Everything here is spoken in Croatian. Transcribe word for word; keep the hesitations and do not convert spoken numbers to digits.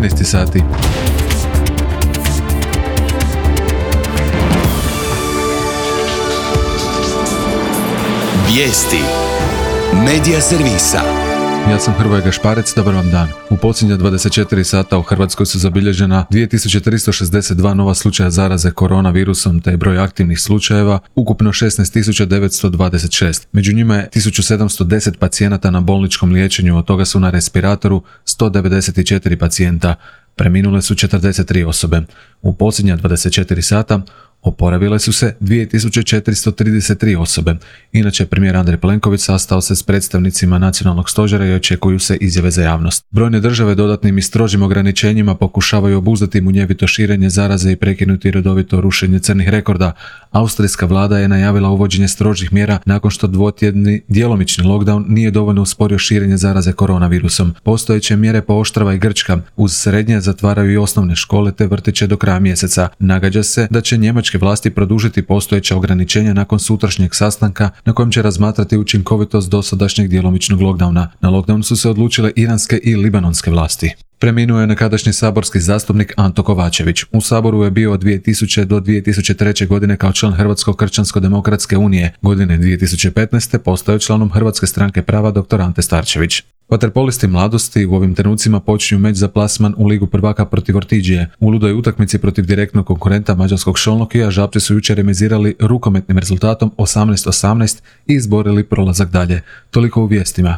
trinaest sati. Vijesti Medija servisa. Ja sam Hrvoje Gašparec, dobar vam dan. U posljednja dvadeset četiri sata u Hrvatskoj su zabilježena dvije tisuće tristo šezdeset dva nova slučaja zaraze koronavirusom, te je broj aktivnih slučajeva ukupno šesnaest tisuća devetsto dvadeset šest. Među njima je tisuću sedamsto deset pacijenata na bolničkom liječenju, od toga su na respiratoru sto devedeset četiri pacijenta. Preminule su četrdeset tri osobe. U posljednja dvadeset četiri sata oporavile su se dvije tisuće četiristo trideset tri osobe. Inače, premijer Andrej Plenković sastao se s predstavnicima nacionalnog stožera i očekuju se izjave za javnost. Brojne države dodatnim i strožim ograničenjima pokušavaju obuzdati munjevito širenje zaraze i prekinuti redovito rušenje crnih rekorda. Austrijska vlada je najavila uvođenje strožih mjera nakon što dvotjedni djelomični lockdown nije dovoljno usporio širenje zaraze koronavirusom. Postojeće mjere pooštrava i Grčka. Uz srednje zatvaraju i osnovne škole te vrtiće do kraja mjeseca. Nagađa se da će njemačke vlasti produžiti postojeća ograničenja nakon sutrašnjeg sastanka na kojem će razmatrati učinkovitost dosadašnjeg djelomičnog lockdowna. Na lockdown su se odlučile iranske i libanonske vlasti. Preminuo je nekadašnji saborski zastupnik Anto Kovačević. U Saboru je bio od dvije tisuće do dvije tisuće treće. godine kao član Hrvatsko kršćansko-demokratske unije. Godine dvije tisuće petnaeste. postao je članom Hrvatske stranke prava dr. Ante Starčević. Vaterpolisti mladosti u ovim trenucima počinju meč za plasman u Ligu prvaka protiv Ortiđije. U ludoj utakmici protiv direktnog konkurenta mađarskog Šolnokija Žabci su jučer remizirali rukometnim rezultatom osamnaest osamnaest i izborili prolazak dalje. Toliko u vijestima.